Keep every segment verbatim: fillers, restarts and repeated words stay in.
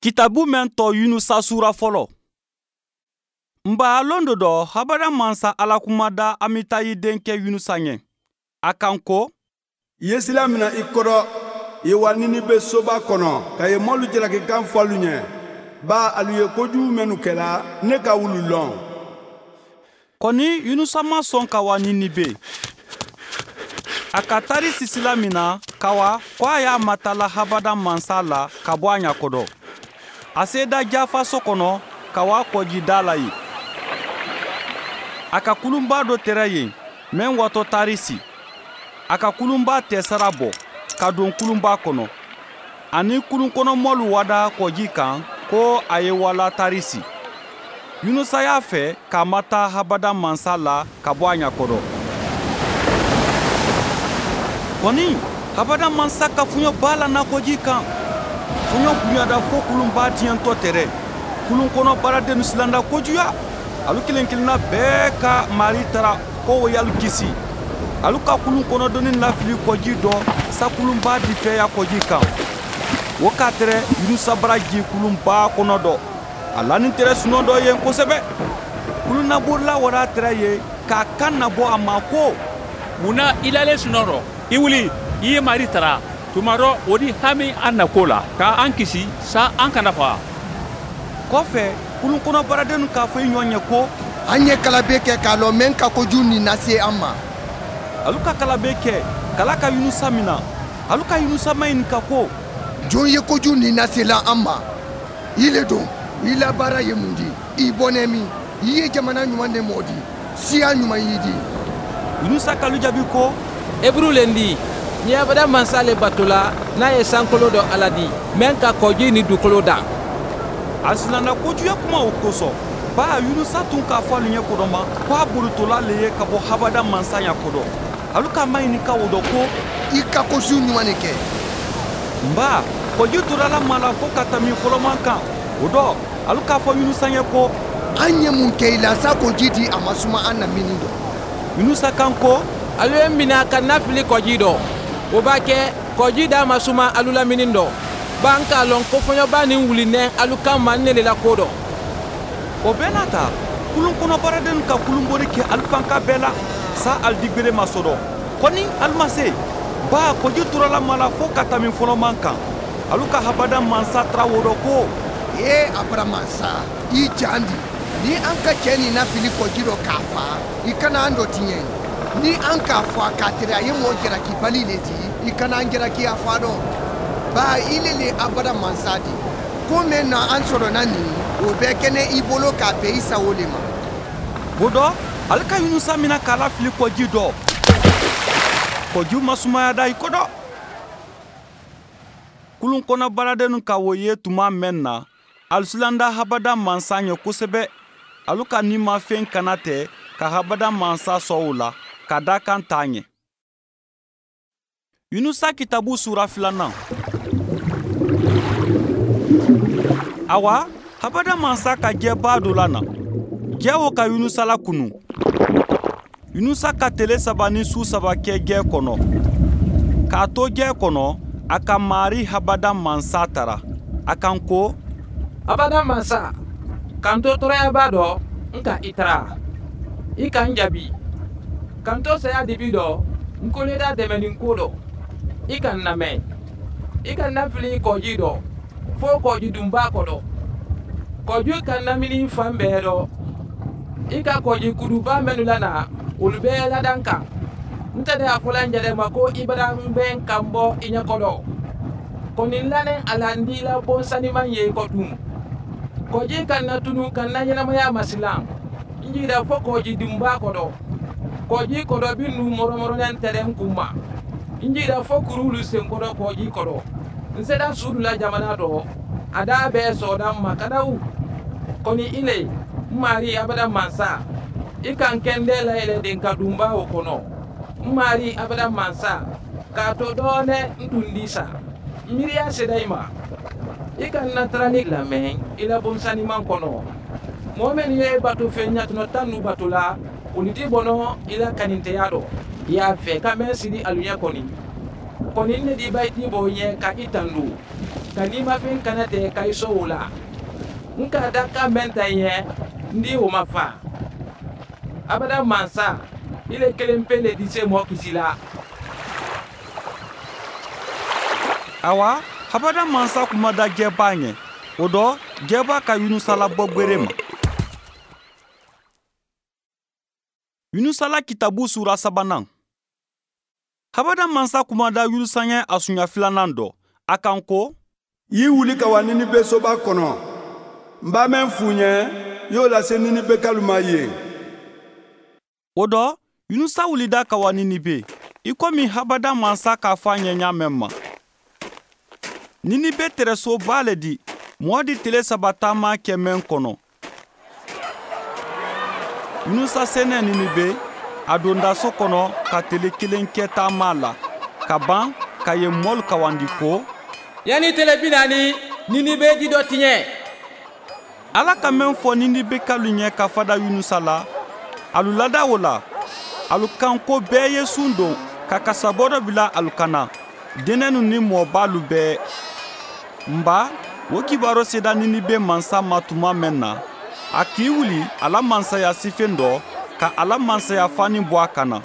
Kitabu mɛn tɔ Yunusa sura fɔlɔ. Nba lon dɔ dɔ habada mansa Ala kumada Amitayi denkɛ Yunusa ɲɛ. A kan ko i ye sila mina i kɔrɔ i ye wa Ninibe soba kɔnɔ ka ye mɔlu jalaki kan fɔ alu ɲɛ ba alu ye kojugu minnu kɛla ne ka wulu lɔn. Kɔni Yunusa ma sɔn ka wa Ninibe. A ka tari sisila min na ka wa ko a y'a matala habada mansa la ka bɔ a ɲakɔdɔ. A seda Jafa so kɔnɔ ka wa kɔji da la yen. A ka kulunba dɔ tɛrɛ yen mɛn watɔ Tarisi. A ka kulunba tɛsara bɔ ka don kulunba kɔnɔ. Ani kulunkɔnɔmɔlu wada kɔji kan ko a ye wala Tarisi. Yunusa y'a fɛ k'a mata habada mansa la ka bɔ a ɲakɔrɔ. Kɔni habada mansa ka fuɲɔba la na kɔji kan. Fuɲɔ bonyada fo kulunba tiɲɛntɔ tɛrɛ. Kulun kɔnɔ baaradennu silanda kojuya. Alu kelen kelenna bɛɛ ka mari tara ko o y'alu kisi. Alu ka kulun kɔnɔdonni lafili kɔji dɔ sa kulunba difɛya kɔji kan. O ka tɛrɛ Yunusa bara ji kulunba kɔnɔ dɔ. A lani tɛrɛ sunɔ dɔ yen kosɛbɛ. Kulunnabolila wara tɛrɛ ye k'a kan nabɔ a ma ko mun na i lalen sunɔ rɔ? I wuli, i ye mari tara. Tuma dɔ o di hami an na ko la ka an kisi sa an kana faga. Kɔfɛ kulun kɔnɔ baaradennu k'a fɔ i ɲɔgɔn ɲɛ ko an ye kalabe kɛ k'a lɔn mɛn ka kojugu nin lase an ma. Alu ka kalabe kɛ kala ka Yunusa mina. Alu ka Yunusa maɲininka ko jɔn ye kojugu nin lasela an ma? I le don, i la baara ye mun di? I bɔnɛ min? I ye jamana ɲuman de mɔɔ di? Siya ɲuman y'i di? Yunusa k'alu jaabi ko Eburu le di. Ni abada mansa le batola n'a ye sankolo dɔ Ala di mɛn ka kɔji ni dugukolo dan. A silanna kojuya kuma o kosɔn. Ba Yunusa tun k'a fɔ alu ɲɛ kɔdɔma ko a bolitola le ye ka bɔ habada mansa ɲɛ kɔdɔ. Alu ka maɲininka o dɔ ko i ka kosu ɲuman de kɛ. Nba kɔji tora la ma la fo ka tɛmɛ fɔlɔman kan. O dɔ alu k'a fɔ Yunusa ɲɛ ko an ye mun kɛ i la sa k'o ji di a ma suma an na mini dɔ. Yunusa kan ko alu ye mina ka na fili kɔji dɔ. O b'a kɛ kɔji d'a ma suma alu la mini dɔ. Ba an k'a lɔn ko fɔɲɔba nin wulinɛ alu kan ma ne le la ko dɔ. O bɛɛ n'a ta kulun kɔnɔ baaradennu ka kulunbori kɛ alifanka bɛɛ la sa alidigbere ma sɔrɔ. Kɔni alu ma se. Ba kɔji tora la ma la fo ka tɛmɛ fɔlɔman kan. Alu ka habada mansa tara wo dɔ ko ee abara mansa i jan di. Ni an ka cɛ nin lafili kɔji dɔ k'a fa i kana an dɔ tiɲɛ. Ni an k'a fɔ a k'a tere a ye mɔɔ jalakibali le di i kana an jalaki a fa dɔn. Ba i le le abada mansa di. Ko mɛn na an sɔrɔna nin o bɛɛ kɛnɛ i bolo k'a bɛn i sago le ma. O dɔ ale ka Yunusa mina k'a lafili kɔji dɔ. Kɔji ma sumaya da i kɔ dɔ. Kulun kɔnɔ baaradennu ka o ye tuma mɛn na alu silanda habada mansa ɲɛ kosɛbɛ. Alu ka nimafɛn kana tɛ ka habada mansa sɔn o la ka da kan t'a ɲɛ. Yunusa kitabu sura filanan. Awa habada mansa ka jɛba dɔ la na. Jɛ o ka Yunusa lakunu. Yunusa ka tele saba ni su saba kɛ jɛ kɔnɔ. K'a to jɛ kɔnɔ a ka mari habada mansa tara. A kan ko abada mansa k'an to tɔɔrɔyaba dɔ n ka i tara. I ka n jaabi. K'an to saya dibi dɔ n ko ne da dɛmɛni ko dɔ. I ka n lamɛn. I ka n lafili kɔji dɔ fo kɔji dunba kɔnɔ. Kɔji ka lamini fan bɛɛ dɔ. I ka kɔji kuduba minnu lana olu bɛɛ ladan kan. N tɛ de a fɔla n yɛrɛ ma ko i bara n bɛ n kan bɔ i ɲɛkɔrɔ. Kɔni n lanen a la n di la bon saniman ye kɔ dun. Kɔji ka na tunu ka na ɲɛnamaya masilan. N jira fo kɔji dunba kɔnɔ. Kɔji kɔnɔ bi nu mɔrɔmɔrɔlen tɛrɛ n kun ma. N jira fo kurulu senkɔrɔ kɔji kɔrɔ. N sera sudu la jamana dɔ. A da bɛɛ sɔrɔla n ma kadawu. Kɔni i le n mari abada mansa. I kan kɛndɛ layɛlɛ den ka dunba o kɔnɔ. N mari abada mansa. K'a to dɔɔnɛ n tun di sa. Miiriya sera i ma. I ka na tarali lamɛn i la bonsaniman kɔnɔ. Mɔɔ minnu ye bato fɛn ɲatunɔ tan nu bato la olu ti bɔnɔ i la kaninteya dɔ. I y'a fɛ ka mɛn siri alu ɲɛ kɔni. Kɔni ne di ba i ti bɔ ɲɛ ka i tandu. ka nimafɛn kana tɛ ka i sɔn o la. N ka da kan mɛn ta ɲɛ n di o ma fa. Abada mansa, i le kelen pe le di se mɔgɔ kisi la. Awa, habada mansa kuma da jɛba ɲɛ. O dɔ, jɛba ka Yunusa labɔ gwere ma. Yunusa la kitabu sura sabanan. Habada mansa kuma da Yunusa ɲɛ a sunya filanan dɔ. A kan ko, i wuli ka wa Ninibe soba kɔnɔ. N b'a mɛn f'u ɲɛ, y'o lase Ninibe kalu ma yen. O dɔ, Yunusa wulida ka wa Ninibe, i komi habada mansa k'a fɔ a ɲɛ ɲa mɛn ma. Ninibe tɛrɛsoba le di, mɔɔ di tele saba taama kɛ mɛn kɔnɔ. Yunusa senɛ Ninibe, a donda so kɔnɔ ka tele kelen kɛ taama la, ka ban ka yen mɔlu kawandi ko, yanni tele bi naani, Ninibe di dɔ tiɲɛ. Ala ka mɛn fɔ Ninibe kalu ɲɛ ka fada Yunusa la, alu lada o la, alu kan ko bɛɛ ye sun don ka kasabɔ dɔ bila alu kan na, denɛnu ni mɔɔbalu bɛɛ. Nba, o kibaro sera Ninibe mansa ma tuma mɛn na, a k'i wuli a la mansaya sifen dɔ ka a la mansaya fani bɔ a kan na.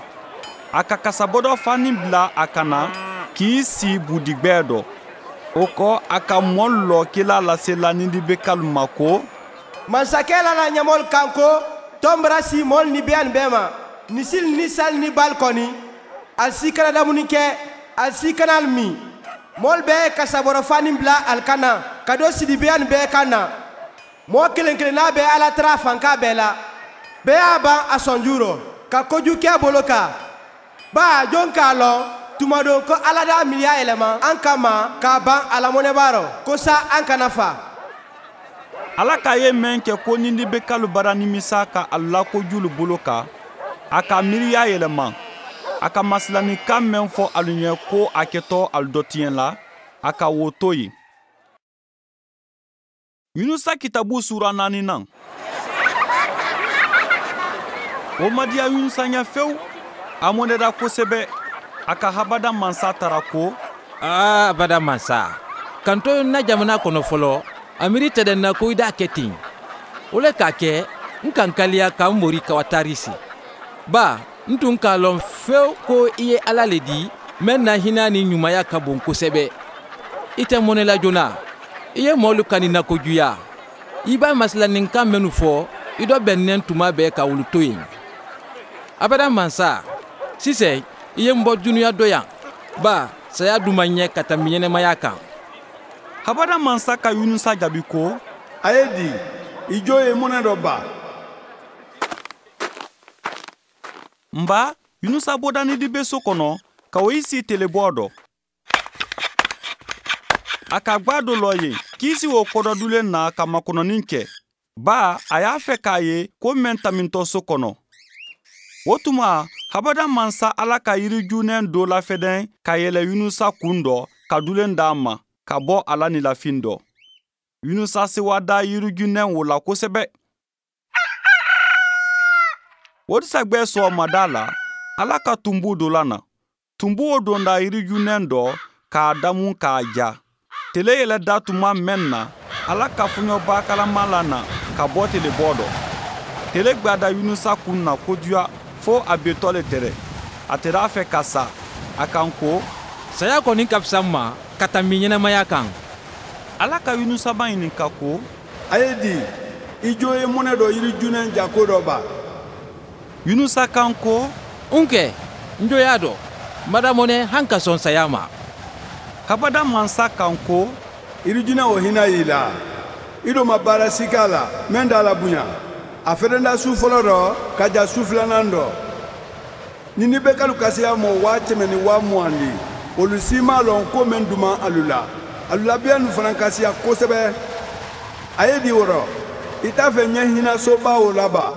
A ka kasabɔdɔ fani bila a kan na k'i si budigbɛ dɔ. O kɔ, a ka mɔɔ lɔ kela lasela Ninibe kalu ma ko, mansakɛ la na ɲɛmɔgɔlu kan ko tɔn bara si mɔɔlu ni bɛɛ ni bɛɛ ma, misili ni sali ni bali kɔni, ali si kana damuni kɛ, ali si kana ali min. Mɔɔlu bɛɛ ye kasabɔrɔ fani bila ali kan na ka don sidibeya ni bɛɛ kan na. Mɔɔ kelen kelenna bɛɛ Ala tara fanka bɛɛ la. Bɛɛ y'a ban a sɔnju rɔ ka kojugu kɛ bolo kan. Ba jon k'a lɔn tuma don ko Ala d'a miiriya yɛlɛma an kama k'a ban a lamɔnɛba rɔ ko sa an kana fa. Ala k'a ye mɛn kɛ ko Ninibe kalu bara nimisa ka a la kojulu bolo kan, a ka miiriya yɛlɛma. A ka masilanikan mɛn fɔ alu ɲɛ ko a kɛtɔ alu dɔ tiɲɛ la, a ka wo to yen. Yunusa kitabu sura naaninan. O ma diya Yunusa ɲɛ fewu, a mɔnɛra kosɛbɛ. A ka habada mansa tara ko, aa abada mansa, kan to na jamana kɔnɔ fɔlɔ, a miiri tɛ dɛ na ko i d'a kɛ ten. O le k'a kɛ, n kan kaliya ka n mori ka wa Tarisi. Ba, n tun k'a lɔn fewu ko i ye Ala le di, mɛn na hinɛ ni ɲumanya ka bon kosɛbɛ. I tɛ mɔnɛ la joona. I ye mɔɔlu kani na kojuya. I b'a masilaninkan minnu fɔ, i dɔ bɛnnen tuma bɛɛ ka wulu to yen. Abada mansa, sisan i ye n bɔ dunuya dɔ yan. Ba, saya dun ma ɲɛ ka tɛmɛ ɲɛnɛmaya kan. Habada mansa ka Yunusa jaabi ko, a ye di, i jo ye mɔnɛ dɔ ba. Nba, Yunusa bɔda Ninibe so kɔnɔ ka o i si telebɔ dɔ. A ka gba dɔ lɔ yen k'i si o kɔdɔdulen na ka makɔnɔni kɛ. Ba, a y'a fɛ k'a ye ko mɛn tamintɔ so kɔnɔ. O tuma, habada mansa Ala ka yirijunɛ dɔ lafɛdɛn ka yɛlɛ Yunusa kun dɔ ka dulen d'a ma ka bɔ a la nilafin dɔ. Yunusa sewa da yirijunɛ o la kosɛbɛ. O disagbɛ sɔgɔmada la, Ala ka tunbu dɔ la na. Tunbu o donda yirijunɛ dɔ k'a damu k'a ja. Tele yɛlɛ da tuma mɛn na, Ala ka fɔɲɔba kalama la na ka bɔ telebɔ dɔ. Tele gbada Yunusa kun na kojuya fo a betɔ le tɛrɛ. A tɛr'a fɛ ka sa. A kan ko, saya kɔni ka fisa n ma ka tɛmɛ ɲɛnɛmaya kan. Ala ka Yunusa ma ɲininka ko, a ye di, i jo ye mɔnɛ dɔ yirijunɛ jako dɔ ba. Yunusa kan ko, n kɛ, n jo y'a dɔn, madamɔnɛ han ka sɔn saya ma. Habada mansa kan ko, yirijunɛ o hinɛ y'i la. I do ma baara si k'a la, mɛn t'a la bonya. A fɛrɛnda su fɔlɔ dɔ ka ja su filanan dɔ. Ninibe kalu kasiya mɔ waa kɛmɛ ni waa mugan di. Olu si m'a lɔn ko mɛn duman alu la. Alu labiya nu fana kasiya kosɛbɛ. A ye di o rɔ, i t'a fɛ ɲɛ hinɛ soba o la ba.